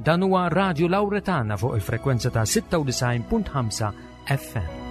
Dan huwa Radio Lauretana fuq il-frekwenza ta' 96.5 FM.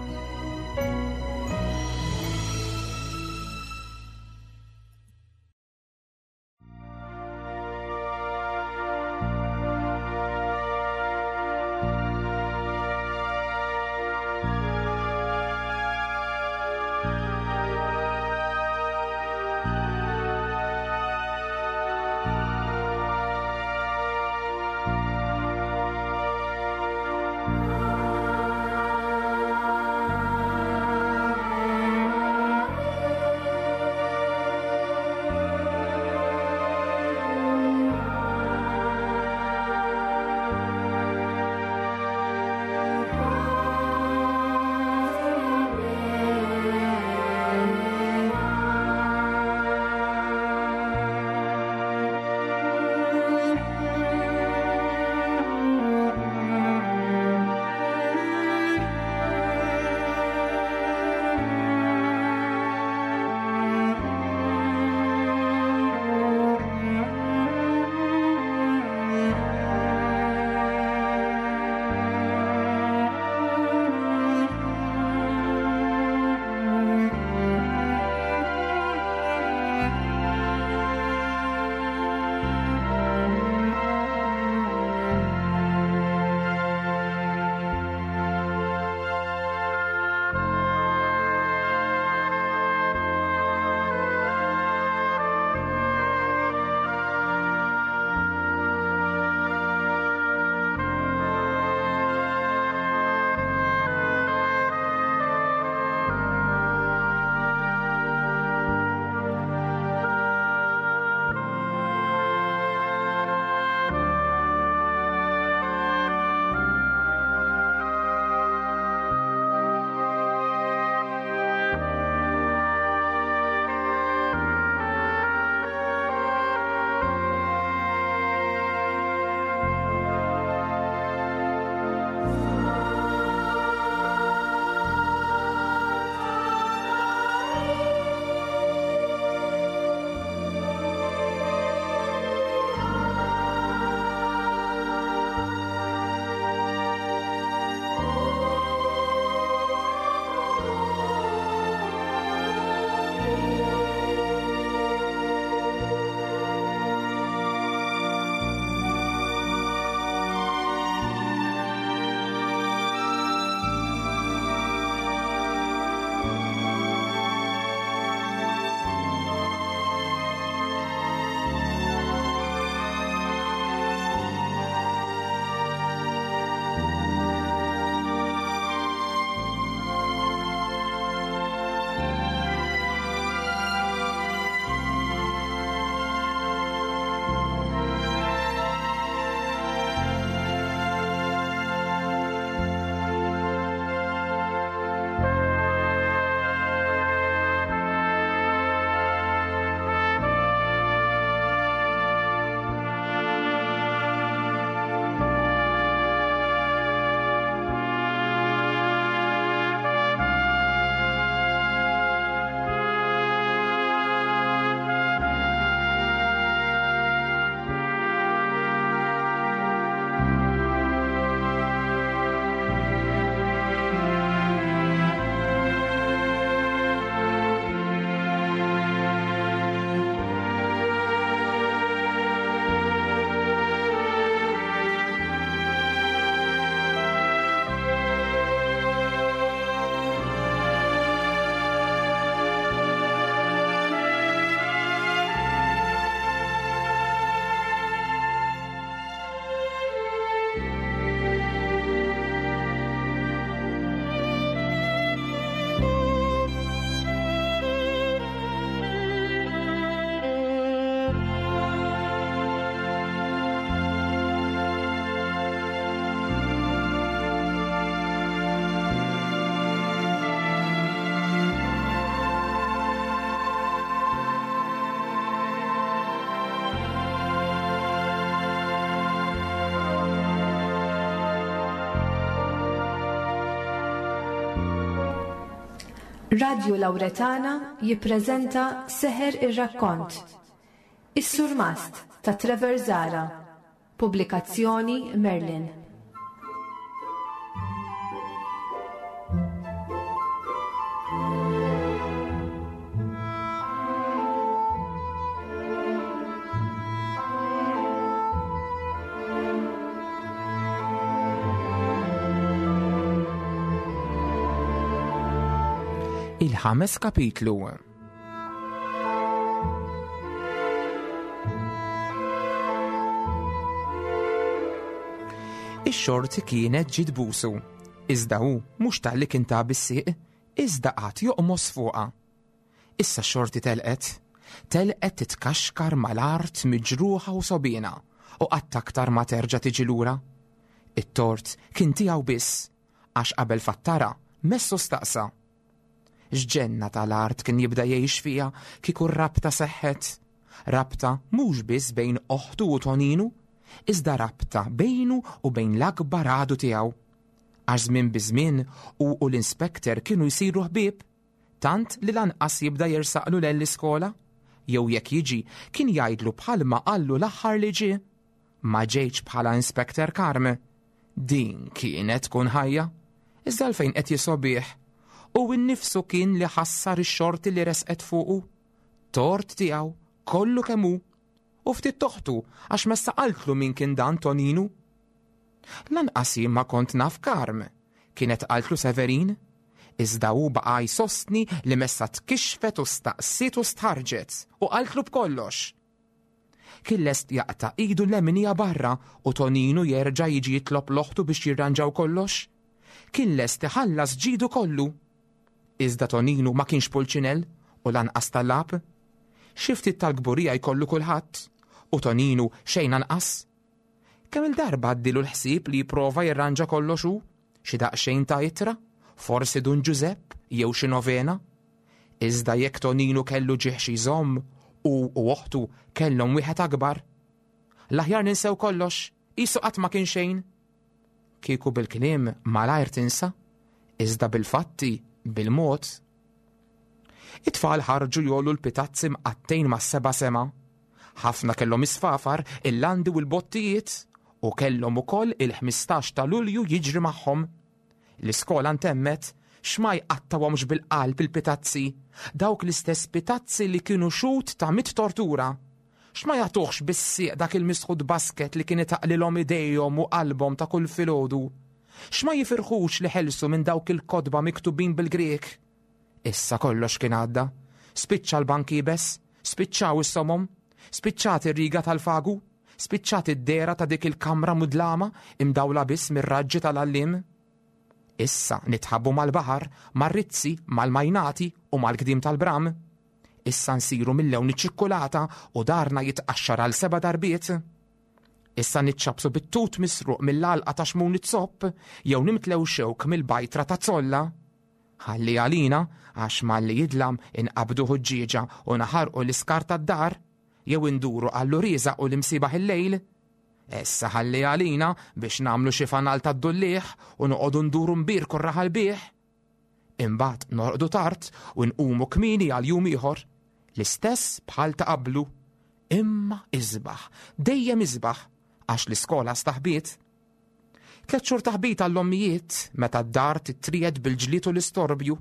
Radju Lauretana jippreżenta Seħer ir-Rakkont. Is-Surmast ta' Trevor Zahra. Pubblikazzjoni Merlin. Il-ħames kapitlu. Ix-xorti kienet ġiet busu, iżda hu mhux talli kien ta' bis-sieq, iżda qagħad joqmos fuqha. Issa x-xorti telqet. Telqet titkaxkar mal-art miġruħa u sogħbiena u qatt aktar ma terġa' tiġi lura. It-tort kien tiegħu biss, għax qabel fattara messu staqsa. X'ġenna tal-art kien jibda jgħix fiha kieku r-rabta seħħet? Rabta mhux biss bejn oħtu u Toninu, iżda rabta bejnu u bejn l-akbar għadu tiegħu. Għax żmien bi żmien hu u l-inspector kienu jsiru ħbieb, tant li lanqas jibda jersaqlu 'l l-iskola, jew jekk jiġi kien jgħidlu bħalma qallu l-aħħar li ġie, Ma ġejtx bħala Inspector Carm. Din kienet tkun ħajja. Iżda għalfejn qed jisobih? Hu innifsu kien li ħassar ix-xorti li resqet fuqu. Tort tiegħu, kollu kemm hu. U ftit toħtu għax messa qaltlu min kien dan Toninu. Lanqas jien ma kont naf Carm, kienet qaltlu Severin. Iżda hu baqa' jsostni li messa tkixxfet u staqsiet u stħarrġet u qaltlu b'kollox. Kien lest jaqta' idu l-leminija barra u Toninu jerġa' jiġi jitlob l-oħtu biex jirranġaw kollox. Kien lest iħallas ġidu kollu. Iżda Toninu ma kienx pulċinell u lanqas tallab. Xi ftit tal-kburija jkollu kulħadd, u Toninu xejn anqas. Kemm-il darba għaddielu l-ħsieb li jipprova jirranġa kollox hu, xi daqsxejn ta' ittra, forsi Dun Ġużepp jew xi novena. Iżda jekk Toninu kellu ġieħ xi jżomm, hu u oħtu kellhom wieħed akbar. L-aħjar ninsew kollox, qisu qatt ma kien xejn. Kieku bil-kliem malajr tinsa, iżda bil-fatti, bil-mod. It-tfal ħarġu jgħollu l-pitazzi mqattgħin mas-seba' sema. Ħafna kellhom is-sfafar, il-landi u l-bottijiet, u kellhom ukoll il-15 ta' Lulju jiġri magħhom. L-iskola ntemmet, x'ma jqattgħuhomx bil-qalb il-pitazzi, dawk l-istess pitazzi li kienu xhud ta' mitt tortura. X'ma jagħtuhx bis-sieq dak il-misħut basket li kien itaqqlilhom idejhom u qalbhom ta' kull filgħodu. X'ma jifirħux li ħelsu minn dawk il-kotba miktubin bil-Grieg. Issa kollox kien għadda. Spiċċa l-bank iebes, spiċċaw is-somom, spiċċat ir-riga tal-fagu, spiċċat id-dehra ta' dik il-kamra mudlama imdawla biss mir-raġġi tal-għalliem. Issa nitħabbu mal-baħar, mar-rizzi, mal-majnati u mal-gdim tal-bram. Issa nsiru mil-lewn iċ-ċikkulata u darna jitqaxxar għal seba' darbiet. Issa niċċappsu bit-tut misruq mill-għalqa ta' xmun iz-zopp jew nimtlew xewk mill-bajtra ta' zolla. Ħalli għalina għax malli jidlam inqabbdu ħuġġieġa u naħarqu l-iskart tad-dar jew induru għall-uriżaq u l-imsiebaħ il-lejl. Issa ħalli għalina biex nagħmlu xi fanal tad-dulliegħ u noqogħdu nduru nbierku r-raħal bih. Imbagħad norqdu tard u nqumu kmieni għal jum ieħor, l-istess bħal ta' qablu. Imma isbaħ, dejjem isbaħ, għax l-iskola staħbiet. Tlet xhur taħbit għall-ommijiet meta d-dar titriegħed bil-ġlied u l-istorbju,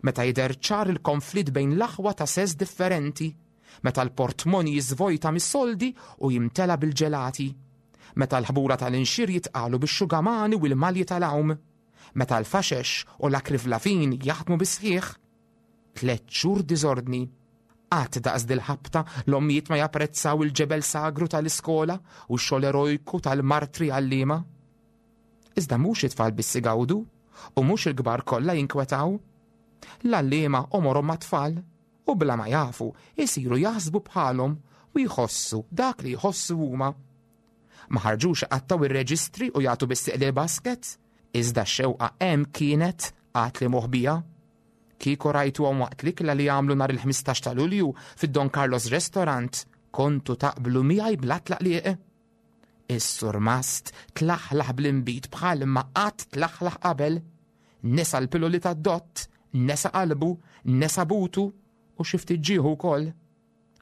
meta jidher ċar il-konflitt bejn l-aħwa ta' sess differenti, meta l-portmoni jiżvojta mis-soldi u jimtela bil-ġelati, meta l-ħbula tal-inxir jitqalu bix-xugamani u l-malji tal-għawm. Meta l-faxex u l-akrivlavin jaħdmu bis-sħiħ. Tlett xhur diżordni. Qatt daqs dil-ħabta l-ommijiet ma japprezzaw il-ġebel sagru tal-iskola u x-xogħol erojku tal-martri għalliema. Iżda mhux it-tfal biss igawdu u mhux il-kbar kollha jinkwetaw. L-għalliema għomorhom mat-tfal u bla ma jafu jsiru jaħsbu bħalhom u jħossu dak li jħossu huma. Ma ħarġux iqattgħu ir-reġistri u jagħtu bis-sieq lill-basket, iżda x-xewqa hemm kienet għad li moħbija. Kieku rajtuhom waqt l-ikla li għamlu nhar il-15 ta' Lulju fid-Don Carlos Restaurant, kontu taqblu miegħi bla tlaqliq. Is-surmast tlaħlaħ bl-inbid bħal ma qatt tlaħlaħ qabel. Nesa l-piloli tad-dott, nesa qalbu, nesa butu u xi ftit ġieħu wkoll.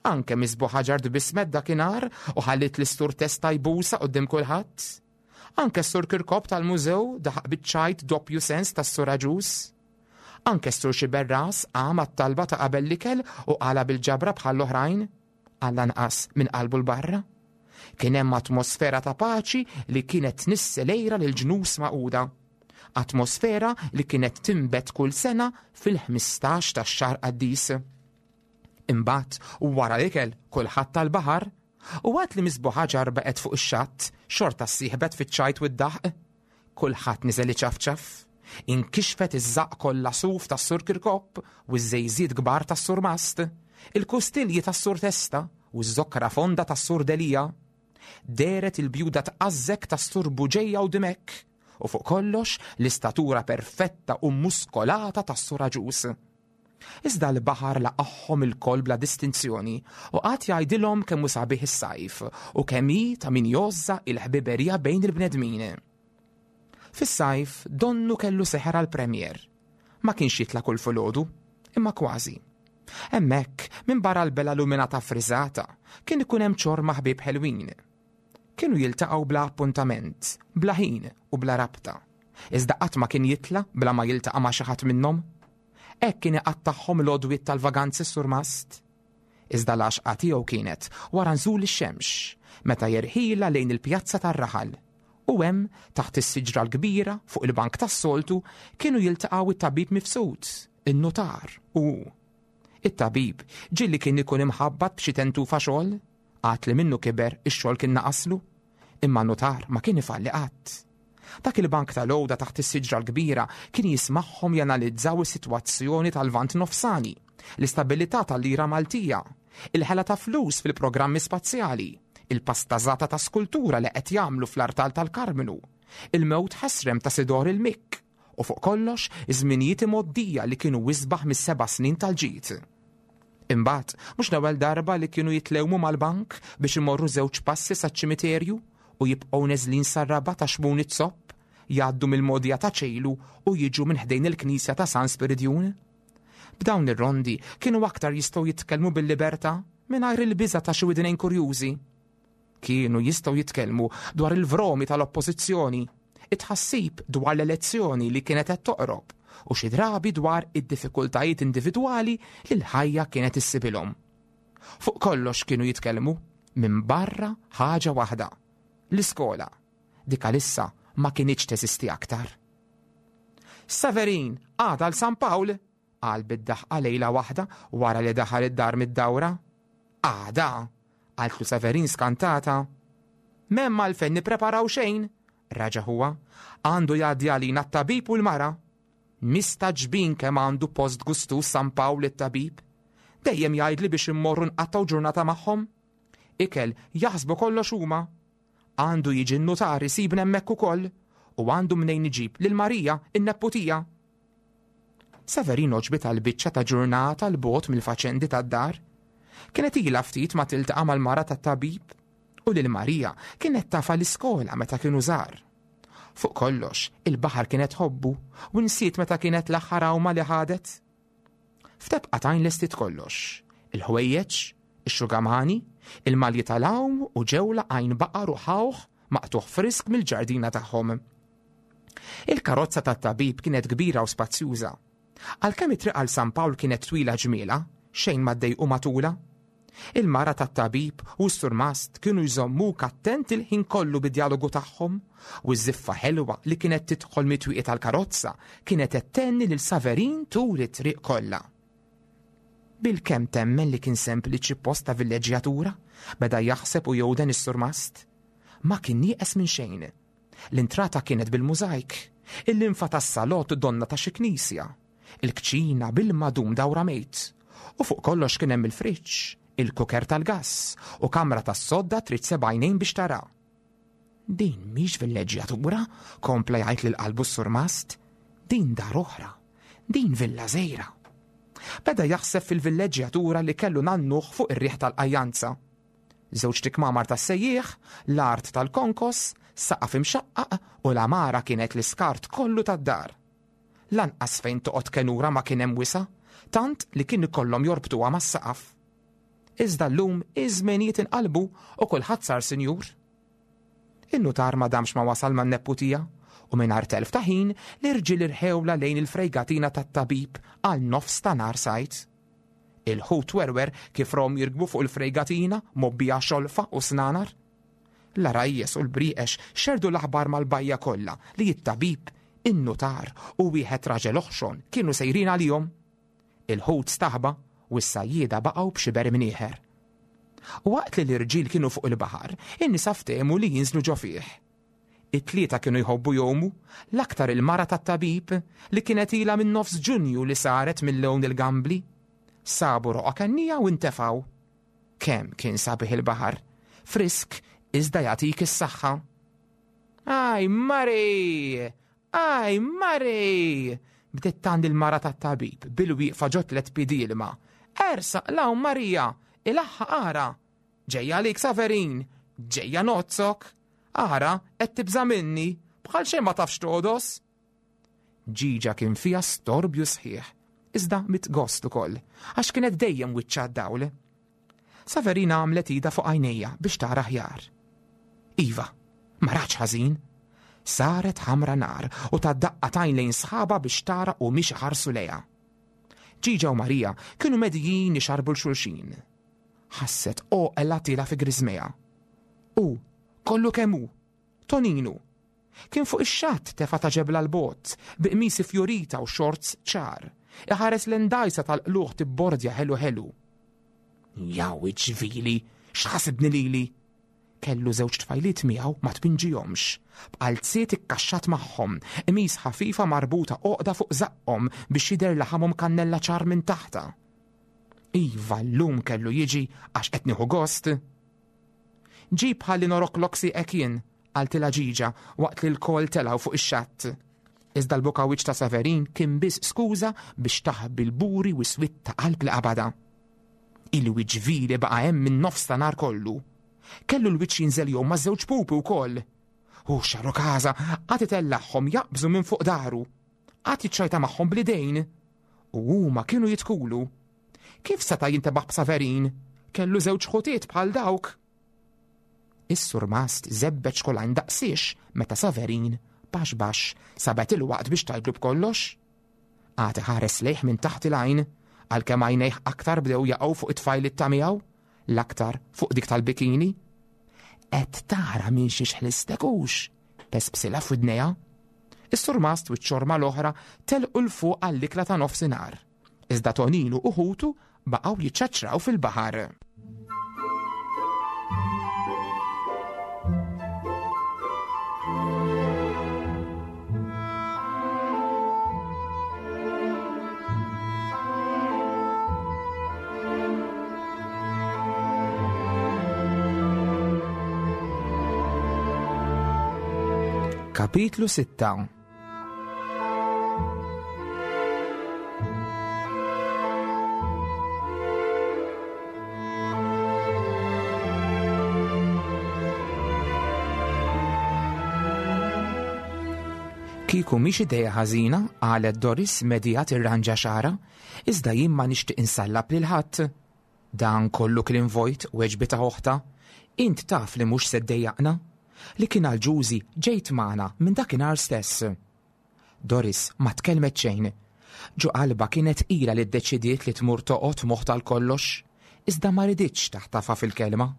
Anke Miss Buħaġar tbissmet dakinhar u ħalliet lis-Sur Testa jbusha quddiem kulħadd. Anke s-Sur Kirkop tal-mużew daħaq biċ-ċajt doppju sens tas-Sur Agius. Anke s-Sur Xiberras qam għat-talba ta' qabel l-ikel u qalha bil-ġabra bħall-oħrajn, għall-anqas minn qalbu 'l barra. Kien hemm atmosfera ta' paċi li kienet tnissel għira lill-ġnus magħquda. Atmosfera li kienet tinbet kull sena fil-15 tax-xahar qaddis. Imbagħad, wara l-ikel, kulħadd tal-baħar, u għad li Miss Buħaġar baqgħet fuq ix-xatt, xorta ssieħbet fiċ-ċajt u d-daħq. Kulħadd niżel iċafċaf. Inkixfet iż-żaqq kollha suf tas-Sur Kirkop u ż-żejżiet kbar tas-Sur Mast, il-kustilji tas-Sur Testa u ż-żokra fonda tas-Sur Delia. Dehret il-bjuda tqażżek tas-Sur Buġeja u Dimech, u fuq kollox l-istatura perfetta u muskolata tas-Sur Aġus. Iżda l-baħar laqagħhom ilkoll bla distinzjoni u qagħad jgħidilhom kemm hu sabiħ is-sajf u kemm hi ta' min jgħożżha il-ħbiberija bejn il-bnedmin. Fis-sajf donnu kellu seħer għall-Premier. Ma kienx jitla' kull filgħodu, imma kważi. Hemmhekk, minbarra l-bela luminata ffriżata, kien ikun hemm ċorma ħbieb ħelwin. Kienu jiltaqgħu bla appuntament, bla ħin u bla rabta. Iżda qatt ma kien jitla' bla ma jiltaqa' ma' xi ħadd minnhom. Hekk kien iqattagħhom l-għodwiet tal-vaganzi s-surmast. Iżda l-għaxqa tiegħu kienet wara nżul ix-xemx, meta jerħilha lejn il-pjazza tar-raħal. U hemm, taħt is-siġra l-kbira, fuq il-bank tas-soltu, kienu jiltaqgħu t-tabib Mifsud, in-nutar u hu. It-tabib ġieli kien ikun imħabbat b'xi tentufa xogħol, għad li minnu kiber ix-xogħol kien naqaslu. Imma n-nutar ma kien ifalli qatt. Dak il-bank tal-għoda taħt is-siġra l-kbira kien jismagħhom janalizzaw is-sitwazzjoni tal-Lvant Nofsani, l-istabilità tal-lira Maltija, il-ħela ta' flus fil-programmi spazjali, il-pastażata ta' skultura li qed jagħmlu fl-artal tal-Karmnu, il-mewt ħesrem ta' Sidor il-Mikk, u fuq kollox iż-żminijiet imgħoddija li kienu isbaħ mis-seba' snin tal-ġid. Imbagħad, mhux l-ewwel darba li kienu jitlewmu mal-bank biex imorru żewġ passi saċ-ċimiterju u jibqgħu neżlin sar-raba' ta' Xmun iz-Zopp, jgħaddu mill-mogħdija ta' Ċejlu u jiġu minn ħdejn il-knisja ta' San Spiridjun. B'dawn ir-rondi kienu aktar jistgħu jitkellmu bil-libertà mingħajr il-biża' ta' xi widnejn kurjużi. Kienu jistgħu jitkellmu dwar il-vromi tal-oppożizzjoni, it-tħassib dwar l-elezzjoni li kienet qed toqrob u xi drabi dwar id-diffikultajiet individwali li l-ħajja kienet issibilhom. Fuq kollox kienu jitkellmu minn barra ħaġa waħda, l-iskola, dik għalissa ma kinitx teżisti aktar. Severin, għada l San Pawl, qal bid-daħqa lejla waħda wara li daħal id-dar mid-dawra. Għada, qaltlu Severin skantata. M'hemm għalfejn nippreparaw xejn, raġa' huwa. Għandu jgħaddi għalina t-tabib u l-mara. Mistagħġbin kemm għandu post gustuż San Pawl it-tabib. Dejjem jgħidli biex immorru nqattgħu ġurnata magħhom. Ikel jaħsbu kollox huma. Għandu jiġi n-nutar isibna hemmhekk ukoll u għandu mnejn iġib lil Marija, in-nepputija. Severin għoġbitha l-biċċa ta' ġurnata 'l bogħod mill-faċendi tad-dar. Kienet ilha ftit ma tiltaqa' mal-mara tat-tabib u lil Marija kienet tafha l-iskola meta kienu żgħar. Fuq kollox, il-baħar kienet tħobbu u nsiet meta kienet l-aħħar għawma li ħadet. F'tebqa t'għajn lestiet kollox, il-ħwejjeġ, ix-xugamani, il-malji tal-għawm u ġewla għajn baqar u ħawħ maqtugħ frisk mill-ġardina tagħhom. Il-karozza tat-tabib kienet kbira u spazjuża. Għalkemm it-triq għal San Pawl kienet twila ġmielha, xejn ma ddejqu matulha. Il-mara tat-tabib u s-surmast kienu jżommuk attent il-ħin kollu bid-djalogu tagħhom u ż-żiffa ħelwa li kienet tidħol mit-twieqi tal-karozza kienet qed thenni lil Saverin tul it-triq kollha. Bilkemm temmen li kien sempliċi post ta' villeġġjatura, beda jaħseb u jewden is-surmast. Ma kien nieqes minn xejn. L-intrata kienet bil-mużajk, il-linfa tas-salott donnha ta' xi knisja, il-kċina bil-madum dawra mejt, u fuq kollox kien hemm il-friġġ, il-kuker tal-gass, u kamra tas-sodda trid seba' għajnejn biex tara. Din mhix villeġġjatura, kompla jgħid lil qalbu s-surmast. Din dar oħra. Din villa żgħira. Beda jaħseb fil-villeġġjatura li kellu nannuh fuq ir-riħ tal-qajjanza. Żewġt ikmamar tas-sejjieħ, l-art tal-konkos, saqaf imxaqqaq u l-għamara kienet l-iskart kollu tad-dar. Lanqas fejn toqgħod kenura ma kien hemm wisa', tant li kien ikollhom jorbtuha mas-saqaf. Iżda llum iż-żmenijiet inqalbu u kulħadd sar sinjur. In-nutar ma damx ma wasal man-nepputija u mingħajr telf ta' ħin l-irġiel irħewlha lejn il-frejgatina tat-tabib għal nofs ta' nhar sajd. Il-ħut werwer kif rom jirkbu fuq il-frejgatina mgħobbija xolfa u snanar. L-għarajjes u l-brieqex xerrdu l-aħbar mal-bajja kollha li t-tabib, in-nutar u wieħed raġel oħxon kienu sejrin għalihom. Il-ħut staħba u s-sajjieda baqgħu b'xiber imnieħer. Waqt li l-irġiel kienu fuq il-baħar, in-nisa ftehmu li jinżlu ġo fih. It-tlieta kienu jħobbu jgħumu, l-aktar il-mara tat-tabib, li kienet ilha minn nofs Ġunju li saret minn lewn il-gambli. Sabu roqgħa kennija u ntefgħu. Kemm kien sabiħ il-baħar! Frisk iżda jagħtik is-saħħa. Aj, Mari! Aj, Mari! Bdiet tgħandi l-mara tat-tabib bil-wieqfa ġo tlett piedi ilma. Ersaq 'l hawn Marija! Ilaħħaq ara! Ġejja għalik Saverin! Ġejja nozzok! Ara, qed tibża' minni! Bħal xejn ma tafx togħdos! Ġiġa kien fiha storbju sħiħ, iżda mit gost ukoll, għax kienet dejjem wiċċha d-dawl. Saverina għamlet idha fuq għajnejha biex tara aħjar. Iva, ma ratx ħażin. Saret ħamra nar u tat daqqa t'għajn lejn sħabha biex tara humiex iħarsu lejha. Ġiġa u Marija kienu medijin ixarrbu 'l xulxin. Ħasset għoqla tiela' fi griżmejha. Hu, kollu kemm hu, Toninu. Kien fuq ix-xatt tefa' ta' ġebla 'l bogħod, bi qmis ifjurita u xorts ċar, iħares lejn dgħajsa tal-qlugħ tibbordja ħelu ħelu. Jaw iġvili, x'ħasibni lili? Kellu żewġ tfajliet miegħu ma tpinġihomx, b'qalziet ikkaxxat magħhom, qmis ħafifa marbuta għoqda fuq żaqqhom biex jidher laħamhom kannella ċar minn taħtha. Iva llum kellu jiġi għax qed nieħu gost. Ġib ħalli noroklok sieqek jien, qaltilha Ġiġa waqt li lkoll telgħu fuq ix-xatt. Iżda l-bukawiċ ta' Severin kien biss skuża biex taħbi l-buri u s-swied ta' qalb li qabadha. Il-wiċċ vili baqa' hemm min-nofs ta' nhar kollu. Kellu l-wiċċ jinżel jgħum ma' żewġ pupi wkoll. Hu xarukaża qagħad itellagħhom jaqbżu minn fuq dahru. Qagħad jiċċajta magħhom bl-idejn. U huma kienu jitkulu. Kif seta' jintebaħ b'Saverin? Kellu żewġ ħutiet bħal dawk. Is-surmast żebbeġ kolajn daqsiex meta Saverin, baxx baxx, sabet il-waqt biex tgħidlu b'kollox. Qagħad iħares lejh minn taħt il-għajn, għalkemm għajnejh aktar bdew jaqgħu fuq it-tfajliet ta' miegħu, l-aktar fuq dik tal-bikini. Qed tara minn xiex ħlistek hux? Pespsilha f'widnejha. Is-surmast u ċ-ċorma l-oħra telqu 'l fuq għall-ikla ta' nofsinhar. Iżda Toninu u ħutu baqgħu jiċċaċċraw fil-baħar. Kapitlu 6 Kieku mhix idea ħażina, qalet Doris medija tirranġa xagħarha, iżda jien ma nixtieq insallab lil ħadd. Dan kollu kliem vojt, weġbitha oħtha. Int taf li mhux se ddejjaqna. Li kien għal Ġużi ġejt magħna minn dakinhar stess. Doris ma tkellmet xejn. Ġo qalbha kienet ilha li ddeċidiet li tmur toqgħod m'oħtha għal kollox, iżda ma riditx taħtafha fil-kelma.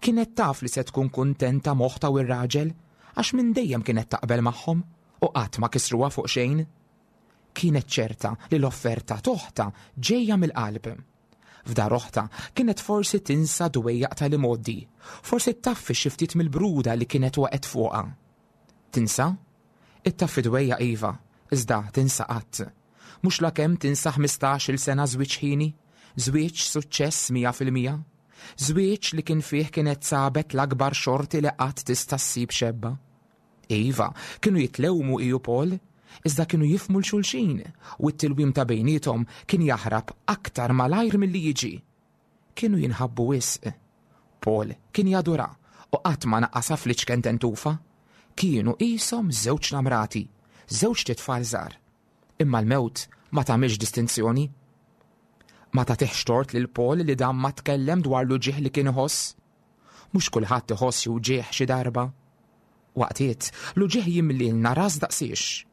Kienet taf li se tkun kuntenta m'oħtha u r-raġel, għax minn dejjem kienet taqbel magħhom u qatt ma kisruha fuq xejn. Kienet ċerta li l-offerta t'oħtha ġejja mill-qalb. F'dar oħtha kienet forsi tinsa dwejjaq tal-imgħoddi, forsi ttaffi xi ftit mill-bruda li kienet waqgħet fuqha. Tinsa? Ittaffi dwejjaq iva, iżda tinsa qatt. Mhux lakemm tinsa ħmistax-il sena żwieġ ħieni, żwieġ suċċess 100%. Żwieġ li kien fih kienet sabet l-akbar xorti li qatt tista' ssib xebba. Iva, kienu jitlewmu hi u Paul, iżda kienu jifhmu 'l xulxin u t-tilwim ta' bejniethom kien jaħrab aktar malajr milli jiġi. Kienu jinħabbu wisq. Paul kien jadurha u qatt ma naqqasha fl-iċken tentufa. Kienu qishom żewġ namrati, żewġt itfal żgħar. Imma l-mewt ma tagħmilx distinzjoni. Ma tagħtihx tort lil Paul li dan ma tkellem dwar l-uġigħ li kien iħoss. Mhux kulħadd iħoss xi wġigħ xi darba. Waqtiet, l-uġigħ jimlielna ras daqsiex.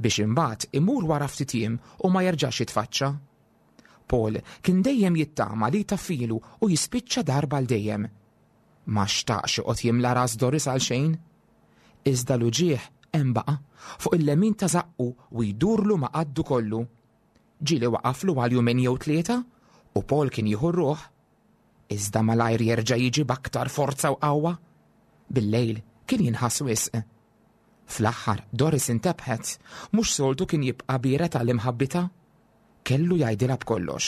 Biex imbagħad imur wara ftit jiem u ma jerġax jitfaċċa. Paul kien dejjem jittama li jtaffilu u jispiċċa darba għal dejjem. Ma xtaqx joqgħod jimla ras Doris għal xejn. Iżda l-uġigħ hemm baqa' fuq il-lemin ta' żaqqu u jdurlu ma' qaddu kollu. Ġieli waqaflu għal jumejn jew tlieta u Paul kien jieħu r-ruħ. Iżda malajr jerġa' jiġi b'aktar forza u qawwa. Bil-lejl kien jinħass wisq. Fl-aħħar Doris intebħet, mhux soltu kien jibqa' biered għal imħabbitha. Kellu jgħidilha b'kollox.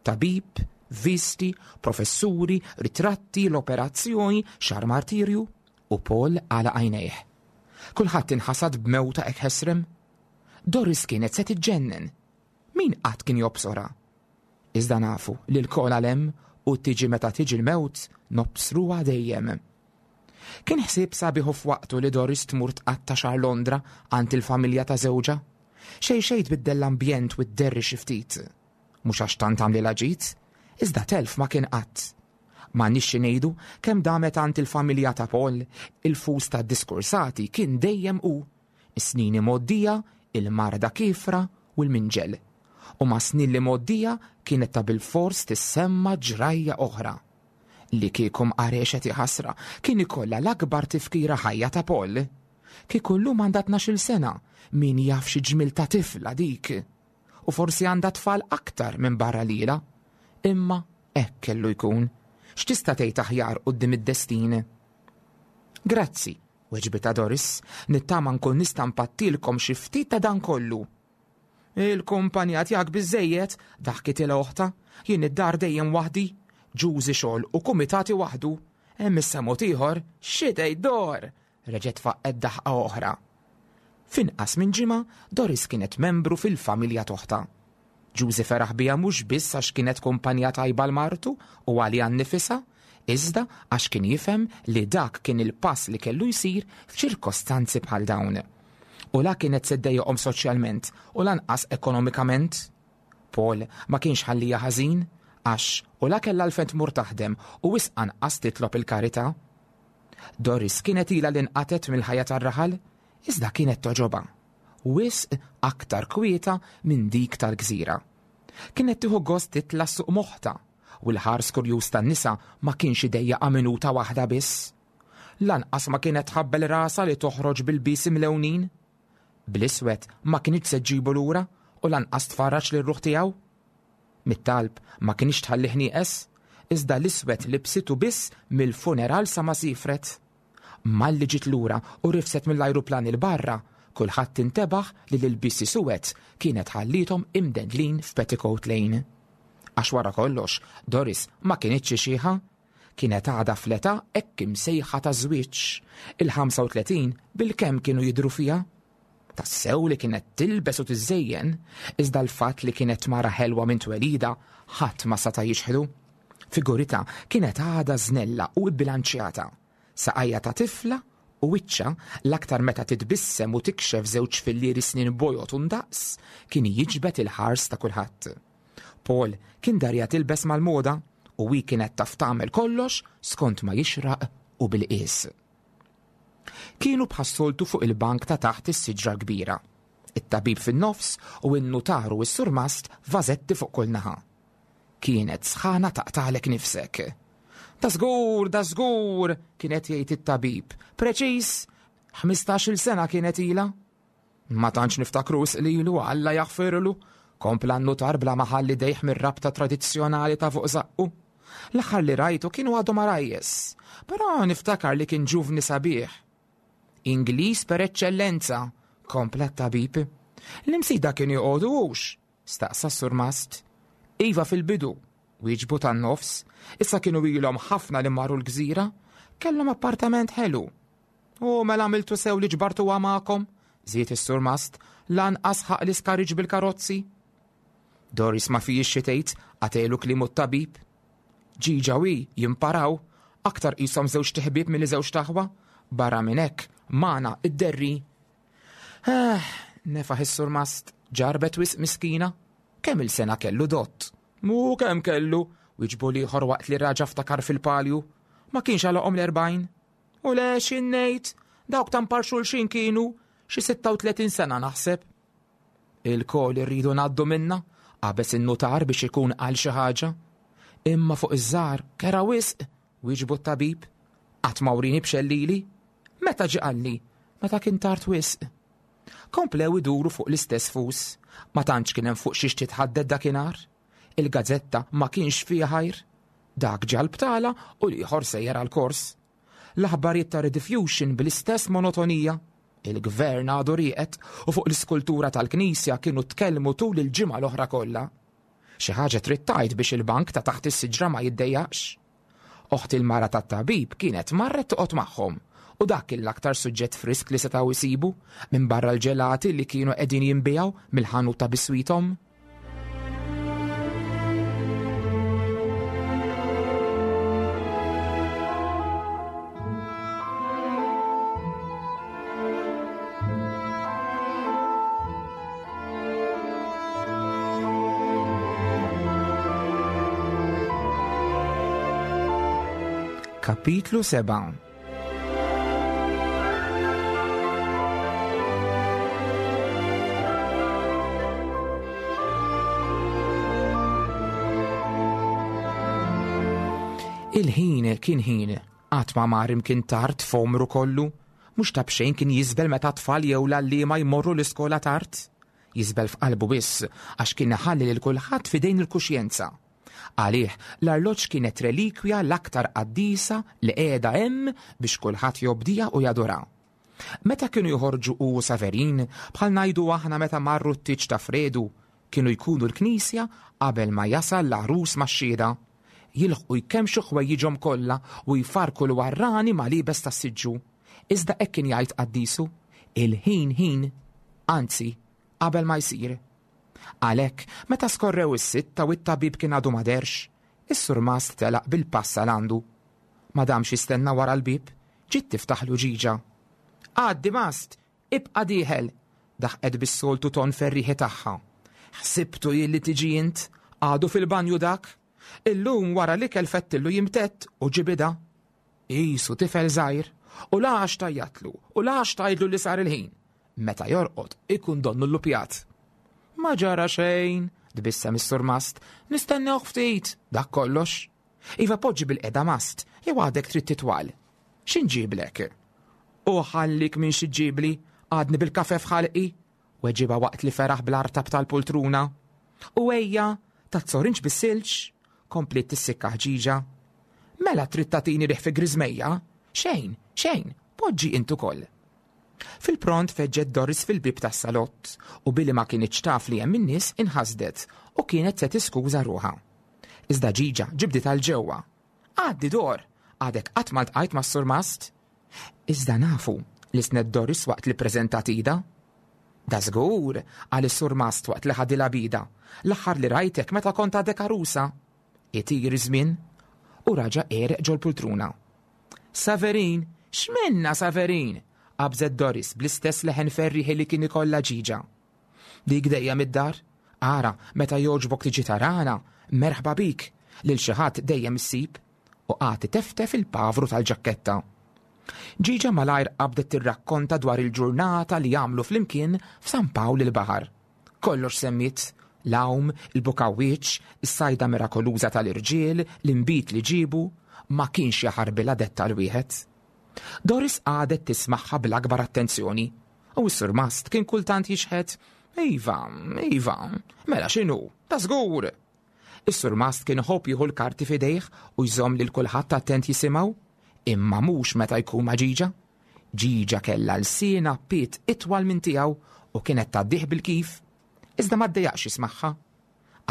Tabib, visti, professuri, ritratti, l-operazzjoni, xahar martirju, u Paul għalaq għajnejh. Kulħadd inħasad b'mewta hekk ħesrem. Doris kienet se tiġġennen. Min qatt kien jobsorha? Iżda nafu li lkoll għal hemm u tiġi meta tiġi l-mewt nobsruha dejjem. Kien ħsieb sabiħ u f'waqtu li Doris tmur tqatta' xahar Londra għand il-familja ta' żewġha. Xejn xejn tbiddel l-ambjent u dderri xi ftit. Mhux għax tant għamlilha ġid, iżda telf ma kien qatt. M'għandniex xi ngħidu kemm damet għand il-familja ta' Paul, il-fus tad-diskursati kien dejjem hu. Is-snin imgħoddija, il-marda kiefra u l-minġel. U mas-snin l-imgħoddija kienet ta' bilfors tissemma ġrajja oħra. Li kieku mqarexet iħassra kien ikollha l-akbar tifkira ħajja ta' Paul. Kieku llum għandha tnax-il sena, min jaf xi ġmiel ta' tifla dik! U forsi għandha tfal aktar minn barra lilha. Imma hekk kellu jkun. X'tista' tgħid aħjar quddiem id-destin? Grazzi, weġbitha Doris, nittama nkun nista' npattilkom xi ftit ta' dan kollu. Il-kumpanija tiegħek biżżejjed, daħkitilha oħtha, jien id-dar dejjem waħdi, ġużi xogħol u kumitati waħdu. Hemm issa mod ieħor, xi tgħid Dor? Reġgħet faqqgħet daħqa oħra. F'inqas minn ġimgħa, Doris kienet membru fil-familja t'oħtha. Ġużi feraħ biha mhux biss għax kienet kumpanija tajba għal martu u għaliha nnifisha, iżda għax kien jifhem li dak kien il-pass li kellu jsir f'ċirkostanzi bħal dawn. U la kienet se ddejjaqhom soċjalment u lanqas ekonomikament. Paul ma kienx ħallija ħażin għax u la kellha għalfejn tmur taħdem u wisq anqas titlob il-karità. Doris kienet ilha li nqatgħet mill-ħajja tar-raħal, iżda kienet togħġobha. Wisq aktar kwieta minn dik tal-gżira. Kienet tieħu gost titla' s-suq m'oħtha, u l-ħars kurjuż tan-nisa ma kienx idejjaqha minuta waħda biss. Lanqas ma kienet tħabbel rasha li toħroġ b'ilbies imlewnin. Bl-iswed ma kinitx se ġġibu lura u lanqas tfarraġ lir-ruħ tiegħu. Mit-talb ma kinitx tħallih nieqes, iżda l-iswed libsitu biss mill-funeral sa ma siefret. Malli ġiet lura u rifset mill-ajruplan 'il barra, kulħadd intebaħ li l-ilbiesi suwed kienet ħalliethom imdendlin f'Petticoat Lane. Għax wara kollox, Doris ma kinitx xi xiħa. Kienet għadha fl-età hekk imsejħa taż-żwieġ. Il-35 bilkemm kienu jidhru fiha. Tassew li kienet tilbes u tiżżejjen, iżda l-fatt li kienet mara ħelwa minn twelidha ħadd ma sata' jiċħdu. Figuritha kienet għadha żnella u bbilanċjata. Saqajha ta' tifla u wiċċha, l-aktar meta titbissem u tikxef żewġ fillieri snien bojod u ndaqs, kien jiġbed il-ħars ta' kulħadd. Paul kien darja tilbes mal-moda u hi kienet taf tagħmel kollox skont ma jixraq u bil-qies. Kienu bħas-soltu fuq il-bank ta' taħt is-siġra l-kbira. It-tabib fin-nofs u n-nutar u s-surmast vażetti fuq kull naħa. Kienet sħana taqtagħlek nifsek. Da żgur, da żgur, kien qed jgħid it-tabib. Preċiż, 15-il sena kienet ilha. Ma tantx niftakru wisq lilu, Alla jaħfirlu, kompla n-nutar bla ma ħall idejh mir-rabta tradizzjonali ta' fuq żaqqu. L-aħħar li rajtu kienu għadhom għarajjes, però niftakar li kien ġuvni sabiħ. Ingliż per eċċellenza, kompla t-tabib. L-imsida kienu joqogħdu hux? staqsa s-surmast. Iva fil-bidu, wieġbu tan-nofs, issa kienu ilhom ħafna li marru l-gżira, kellhom appartament ħelu. U mela għamiltu sew li ġbartuha magħkom, żied is-surmast, lanqas ħaq l-iskariġ bil-karozzi. Doris ma fijiex xi tgħid, qatelu kliemu t-tabib. Ġiġa u hi jimparaw, aktar qishom żewġ tiħbieb milli żewġ taħwa, barra minn hekk magħna id-derri. Eh, nefaħ is-surmast, ġarbet wisq miskina. Kemm il-sena kellu dott? Mu kemm kellu, wieġbu l-ieħor waqt li raġa' ftakar fil-palju. Ma kienx għalaqhom l-40. U le x'in ngħid, dawk ta' mpar xulxin kienu xi 36 sena naħseb. Ilkoll irridu ngħaddu minnha, qabeż in-nutar biex ikun qal xi ħaġa. Imma fuq iż-żgħar kera wisq, wieġbu t-tabib. Qatt ma wrini b'xellili. Meta ġie qalli? Meta kien tard wisq. Komplew iduru fuq l-istess fus. Ma tantx kien hemm fuq xiex titħaddet dakinhar. Il-gazzetta ma kienx fiha ħajr. Dak ġie għall-btala u l-ieħor sejjer għall-kors. L-aħbarijiet ta' Rediffusion bl-istess monotonija. Il-gvern għadu rieqed u fuq l-iskultura tal-knisja kienu tkellmu tul il-ġimgħa l-oħra kollha. Xi ħaġa trid tgħid biex il-bank ta' taħt is-siġra ma jiddejjaqx. Oħt il-mara tat-tabib kienet marret toqgħod magħhom u dak kien l-aktar suġġett frisk li setgħu jsibu minbarra l-ġelati li kienu qegħdin jinbiegħu mill-ħanut ta' biswithom. Kapitlu 7. Il-ħin kien ħin, qatt ma mar imkien tard f'għomru kollu. Mhux ta' b'xejn kien jiżbel meta t-tfal jew l-għalliema jmorru l-iskola tard. Jiżbel f'qalbu biss għax kien iħalli lil kulħadd f'idejn il-kuxjenza. Għalih, l-arloġġ kienet relikwja l-aktar qaddisa li qiegħda hemm biex kulħadd jobdiha u jadurha. Meta kienu joħorġu hu u Saverin, bħal ngħidu aħna meta marru t-tieġ ta' Fredu, kienu jkunu l-knisja qabel ma jasal l-għarus max-xhieda. Jilħqu jkemmxu ħwejjiġhom kollha u jfarrku l-warrani ma' liebes tas-siġġu. Iżda hekk kien jgħid qaddisu, il-ħin ħin, anzi, qabel ma jsir. Għalhekk, meta skorrew is-sitta u t-tabib kien għadu ma dehrx, is-surmast telaq bil-pass għal għandu. Ma damx jistenna wara l-bieb, ġiet tiftaħlu Ġiġa. Għaddi Mast! Ibqa' dieħel! daħqet bis-soltu ton ferrieħi tagħha. Ħsibtu jien li tiġi int, għadu fil-banju dak. Illum wara l-ikel fettillu jimtedd u ġibidha. Qisu tifel żgħir, u la għax tgħajjatlu u la għax tgħidlu li sar il-ħin. Meta jorqod ikun donnu llupjat. Ma ġara xejn, tbissem is-surmast, nistennewh ftit, dak kollox. Iva poġġi bilqiegħda mast, jew għadek trid titwal. Xi nġiblek? U ħallik minn xi ġġibli, għadni bil-kafe f'ħalqi, weġibha waqt li feraħ bl-artab tal-pultruna. U ejja, tazzorinġ bis-silġ, kompliet tissikka ħġiġa. Mela trid tagħtini riħ fi griżmejja? Xejn, xejn, poġġi int ukoll. Fil-pront feġġet Doris fil-bieb tas-salott u billi ma kinitx taf li hemm in-nies inħasdet u kienet se tiskuża ruħha. Iżda Ġiġa ġibditha 'l ġewwa. Għaddi Dor! Għadek qatt ma ltqajt mas-surmast? Iżda nafu, lissnet Doris waqt li ppreżentat idha. Dażgur, qal is-surmast waqt li ħadilha b'idha, l-aħħar li rajtek meta kont għadek għarusa. Itir iż-żmien. U raġa' għereq ġol-pultruna. Saverin! X'minnha Saverin? qabżet Doris bl-istess leħen ferrieħi li kien ikollha Ġiġa. Dik dejjem id-dar. Ara, meta jogħġbok tiġi tarana, merħba bik, lil xi ħadd dejjem issib. U qagħad iteftef il-pavru tal-ġakketta. Ġiġa malajr qabdet tirrakkonta dwar il-ġurnata li għamlu flimkien f'San Pawl il-Baħar. Kollox semmiet, l-għawm, il-bukawwieċ, is-sajda mirakoluża tal-irġiel, l-inbid li ġiebu, ma kienx jaħarbilha dettal wieħed. Doris qagħdet tismagħha bl-akbar attenzjoni, u s-surmast kien kultant jixħet, Iva, iva, mela x'inhu, ta' żgur! Is-surmast kien iħobb jieħu l-karti f'idejh u jżomm lil kulħadd attent jisimgħu, imma mhux meta jkun ma' Ġiġa. Ġiġa kellha lsienha piet itwal minn tiegħu u kienet tgħaddih bil-kif. Iżda ma ddejjaqx jismagħha.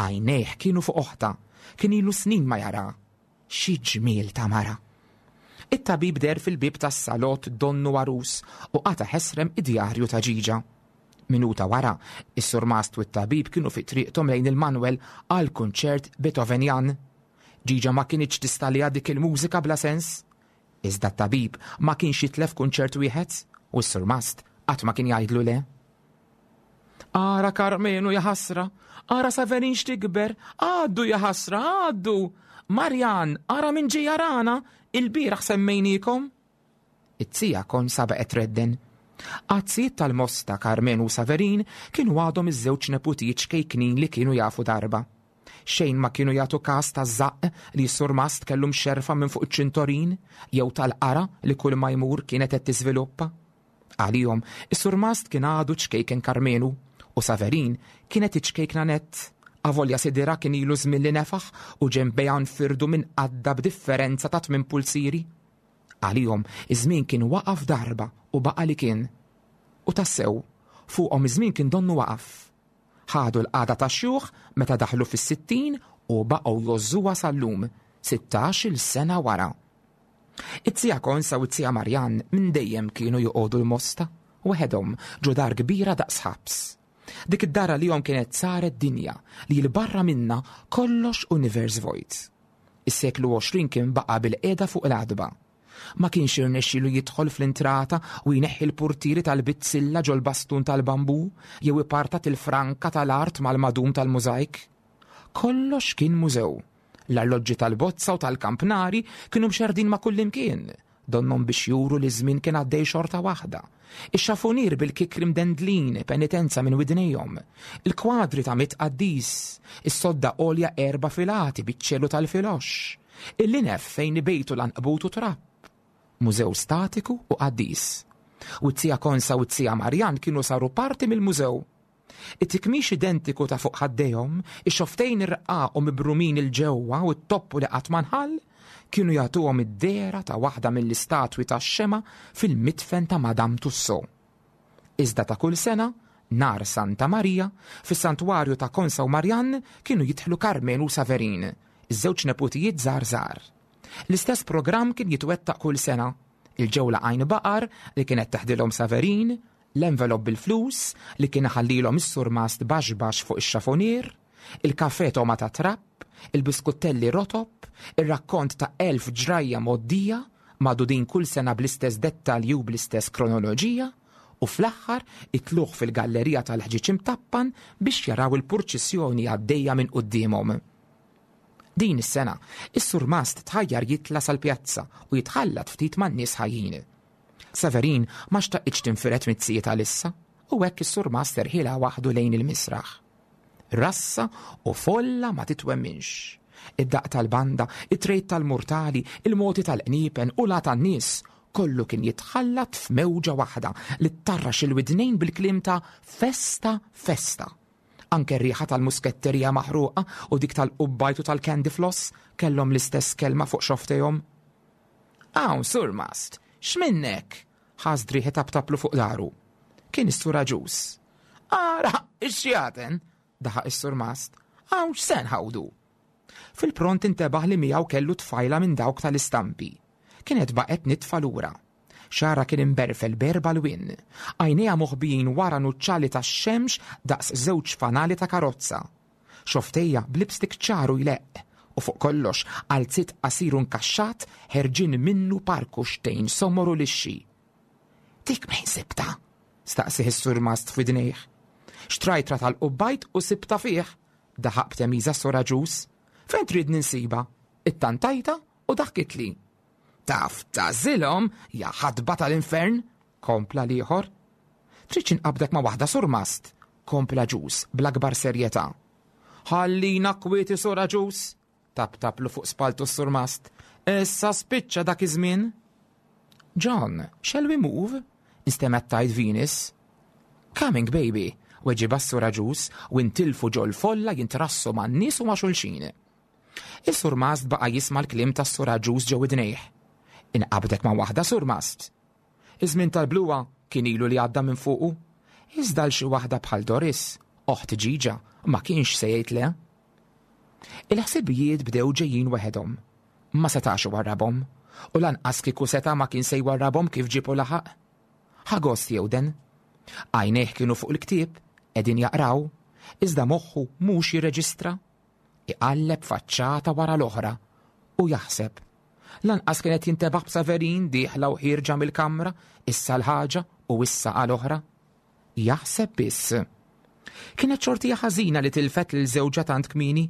Għajnejh kienu fuq oħtha, kien ilu snin ma jaraha. Xi ġmiel ta' mara! It-tabib deher fil-bieb tas-salott donnu għarus u qata' ħesrem id-djarju ta' Ġiġa. Minuta wara, is-surmast u t-tabib kienu fi triqthom lejn il-Manwel għal kunċert Beethovenjan. Ġiġa ma kinitx tista' għaliha dik il-mużika bla sens. Iżda t-tabib ma kienx jitlef kunċert wieħed u s-surmast qatt ma kien jgħidlu le. Ara Karmenu jaħasra, ara Saverin x'tikber, għaddu jaħasra, għaddu! Marjan, ara min ġie jarana, il-bieraħ semmejniekom. It-tija Konsa baqgħet tredden. Għad-tzijiet tal-Mosta, Karmenu u Saverin kienu għadhom iż-żewġ neputijiet ċkejknin li kienu jafu darba. Xejn ma kienu jagħtu kas taż-żaqq li s-surmast kellu mxerrfa minn fuq iċ-ċintorin jew tal-qara li kull ma jmur kienet qed tiżviluppa. Għalihom, is-surmast kien għadu ċkejken Karmenu u Saverin kienet iċ-ċkejkna nett, avolja sidirha kien ilu żmien li nefaħ u ġenbejha nfirdu minn qaddha b'differenza ta' tmien pulzieri. Għalihom, iż-żmien kien waqaf darba u baqa' li kien. U tassew, fuqhom iż-żmien kien donnu waqaf. Ħadu l-qagħda tax-xjuħ meta daħlu fis-60 u baqgħu jgħożżuha sal-lum, 16-il sena wara. It-tija Konsa u t-tija Marjann minn dejjem kienu joqogħdu l-Mosta, waħedhom, ġo dar kbira daqs ħabs. Dik id-dar għalihom kienet saret dinja li 'l barra minnha kollox univers vojt. Is-seklu 20 kien baqa' bilqiegħda fuq l-għatba. Ma kienx irnexxielu jidħol fl-intrata u jneħħi l-purtieri tal-bizzilla ġol-bastun tal-bambù jew ipartat il-franka tal-art mal-madum tal-mużajk. Kollox kien mużew. L-arloġġi tal-bozza u tal-kampnari kienu mxerrdin ma' kullimkien, donnhom biex juru li ż-żmien kien għaddej xorta waħda. Ix-xafunier bil-kikri mdendlin penitenza minn widnejhom, il-kwadri ta' mitt qaddis, is-sodda għolja erba' filati biċ-ċelu tal-filoxx, il-linef fejn ibejtu l-għanqbut u trapp. Mużew statiku u qaddis. U t-tija Konsa u t-tija Marjann kienu saru parti mill-mużew. It-tikmix identiku ta' fuq ħaddejhom, ix-xofftejn irqaq u mibrumin 'il ġewwa u t-toppu li qatt ma nħall, kienu jagħtuhom id-dehra ta' waħda mill-istatwi tax-xemgħa fil-midfen ta' Madame Tussauds. Iżda ta' kull sena, nhar Santa Marija, fis-santwarju ta' Konsa u Marjann kienu jidħlu Karmenu u Saverin, iż-żewġ neputijiet żgħar żgħar. L-istess programm kien jitwettaq kull sena, il-ġewla għajn baqar li kienet teħdilhom Saverin, l-envelop bil-flus li kien iħallilhom is-surmast baxx baxx fuq ix-xafonier, il-kafè togħma ta' trab, il-biskuttelli rotob, ir-rakkont ta' 1000 ġrajja mgħoddija, magħdudin kull sena bl-istess dettalji u bl-istess kronoloġija, u fl-aħħar it-tlugħ fil-gallerija tal-ħġieġ imtappan biex jaraw il-purċissjoni għaddejja minn quddiemhom. Din is-sena, is-surmast tħajjar jitla' sal-pjazza u jitħallat ftit man-nies ħajjin. Severin ma xtaqitx tinfired mit-tzijiet għalissa u hekk is-surmast erħilha waħdu lejn il-misraħ. Rassa u folla ma titwemminx. Id-daqq tal-banda, it-trejt tal-murtali, il-moti tal-qniepen u l tan-nies, kollu kien jitħallat f'mewġa waħda li ttarrax il-widnejn bil-kliem ta' festa festa. Anke r-riħa tal-musketterija maħruqa u dik tal-qubbajt u tal-candy floss kellhom l-istess kelma fuq xofftejhom. Hawn, Surmast, x'minnek? Ħass driegħ itaptaplu fuq daru. Kien is-Sur Aġus. Ara, ix-xjaten! daħaq is-Surmast. Hawn x'se nħawdu? Fil-pront intebaħ li miegħu kellu tfajla minn dawk tal-istampi. Kienet baqgħet nitfa lura. Xagħarha kien imberfel b'erba' lwien. Għajnejha moħbijin wara nuċċali tax-xemx daqs żewġ fanali ta' karozza. Xofftejha b'lipstick ċar u jleqq, u fuq kollox qalziet qasir u nkaxxat ħerġin minnu par kuxtejn somor u lixxi. Dik mejn sibtha? staqsieh is-surmast f'widnejh. Xtrajtra tal-qubbajt u sibtha fih, daħaq b'temiża s-Sur Aġus. Fejn tridni nsibha? Ittantajtha u daħkitli. Taf tagħżilhom, ja ħatba tal-infern, kompla l-ieħor. Tridx inqabbdek ma' waħda surmast, kompla Aġus bl-akbar serjetà. Ħallina kwieti Sur Aġus, taptaplu fuq spaltu s-surmast. Issa spiċċa dak iż-żmien. John, shall we move? Instemgħet tgħid Venus. Coming, baby, weġibha s-Sur Aġus u intilfu ġol-folla jintrassu man-nies u ma' xulxin. Is-surmast baqa' jisma' l-kliem tas-Sur Aġus ġo widnejh. Inqabdek ma' waħda, Surmast. Iż-żmien tal-bluha kien ilu li għadda minn fuqu. Iżda għal xi waħda bħal Doris, oħt Ġiġa, ma kienx se jgħid le. Il-ħsibijiet bdew ġejjin waħedhom. Ma setax iwarrabhom. U lanqas kieku seta' ma kien se jwarrabhom kif ġieb u laħaq. Ħa gost jewden. Għajnejh kienu fuq il-ktieb, qegħdin jaqraw, iżda moħħu mhux jirreġistra. Iqalleb faċċata wara l-oħra u jaħseb. Lanqas kien qed jintebaħ b'Saverin dieħla u ħierġa mill-kamra, issa għal ħaġa u issa għal oħra. Jaħseb biss. Kienet xortija ħażina li tilfet lil żewġha tant kmieni.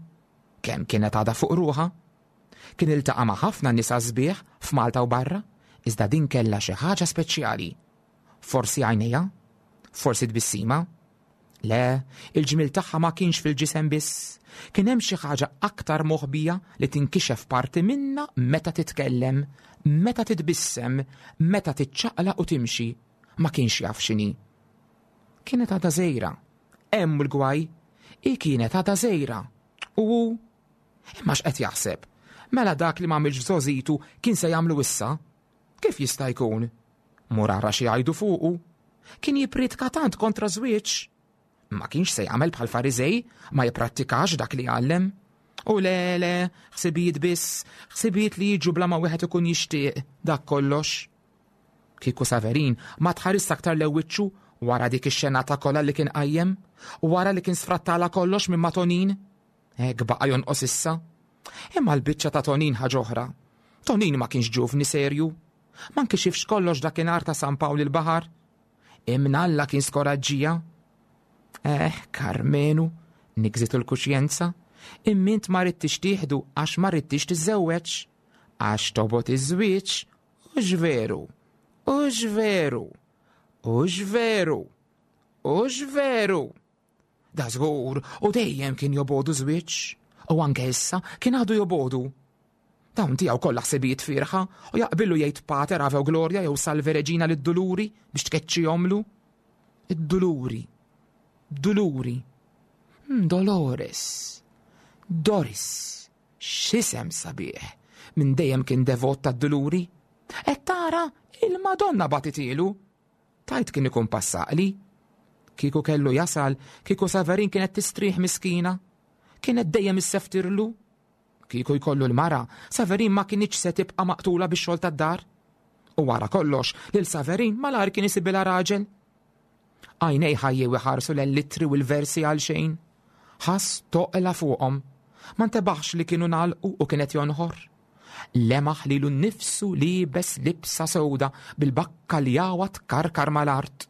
Kemm kienet għadha fuq ruħha. Kien iltaqa' ma' ħafna nisa sbieħ f'Malta u barra, iżda din kellha xi ħaġa speċjali. Forsi għajnejha? Forsi tbissima? Le, il-ġmiel tagħha ma kienx fil-ġisem biss. Kien hemm xi ħaġa aktar moħbija li tinkixef parti minnha meta titkellem, meta titbissem, meta tiċċaqlaq u timxi. Ma kienx jaf x'inhi. Kienet għadha żgħira. Hemm il-gwaj. Hi kienet għadha żgħira. U hu? Imma x'qed jaħseb? Mela dak li m'għamilx f'żgħożitu kien se jagħmlu issa? Kif jista' jkun? Mur ara xi jgħidu fuqu. Kien jippriedka tant kontra żwieġ. Ma kienx se jagħmel bħal Fariżej, ma jipprattikax dak li jgħallem. U le, le, ħsibijiet biss, ħsibijiet li jiġu bla ma wieħed ikun jixtieq, dak kollox. Kieku Saverin ma tħares aktar lew wiċċu wara dik ix-xenata kollha li kien qajjem, wara li kien sfrattala kollox minn ma' Tonin. Hekk baqa' jonqos issa. Imma l-biċċa ta' Tonin ħaġa oħra. Tonin ma kienx ġuvni serju. Ma nkixifx kollox dakinhar ta' San Pawl il-Baħar. Imnalla kien skoraġġija. Eh, Karmenu, nigżitu l-kuxjenza, immint ma ridtix tieħdu għax ma ridtix tiżżewweġ. Għax tobot iż-żwieġ, hux veru, hux veru, hux veru, hux veru. Da żgur, u dejjem kien jobogħdu żwieġ, u anke issa kien għadu jobogħdu. Dawn tiegħu kollha ħsibijiet fierħa u jaqbillu jgħid Pater Ave u Gloria jew Salve Regina lid-Duluri biex tkeċċihomlu. Id-Duluri. Duluri. Hmm, Dolores. Doris. X'isem sabiħ. Minn dejjem kien devot tad-Duluri. Qed tara il-Madonna bagħtithielu. Tgħid kien ikun passaqli? Kieku kellu jasal, kieku Saverin kienet tistrieħ miskina. Kienet dejjem isseftirlu. Kieku jkollu l-mara, Saverin ma kinitx se tibqa' maqtula bix-xogħol tad-dar. U wara kollox, lil Saverin malajr kien isibilha raġel. Għajnejh ħajjew iħarsu l-littri u l-versi għal xejn. Ħass toqla fuqhom. Ma ntebaħx li kienu nagħlqu u kienet jonħor. Lemaħ lilu nnifsu liebes libsa sewda bil-bakkaljawa tkarkar mal-art,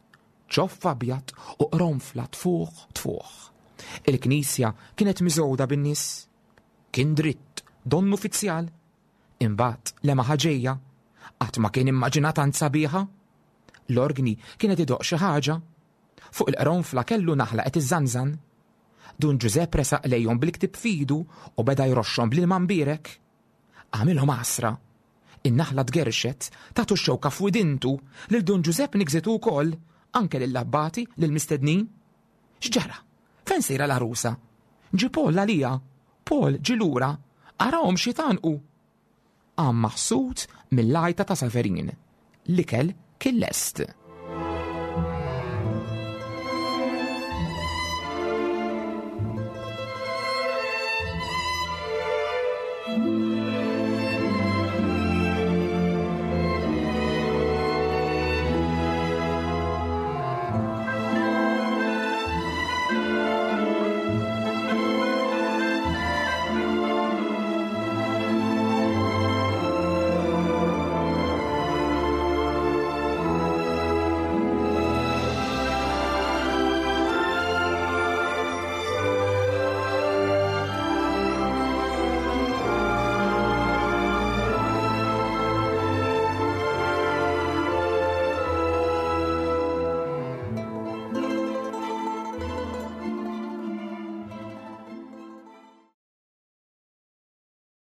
ċoff abjad u qronfla tfuħ tfuħ. Il-knisja kienet miżgħuda bin-nies. Kien dritt, donnu fizzjal. Imbagħad lemaħha ġejja. Qatt ma kien immaġina tant sabiħa. L-orgni kienet idoqq xi ħaġa. Fuq il-qronfla kellu naħla qed iżżanżan. Dun Ġużepp resaq lejhom bil-ktieb f'idu u beda jroxxhom bl-ilma mbierek. Għamilhom għasra. In-naħla tgerrxet, tatu x-xewka f'widintu, lil Dun Ġużepp nigżitu wkoll, anke lill-abbati, lill-mistednin. X'ġara? Fejn sejra l-għarusa? Ġie Paul għaliha. Paul ġie lura. Arahom x'jitgħannqu! Qam maħsud mill-għajta ta' Saverin. L-ikel kien lest.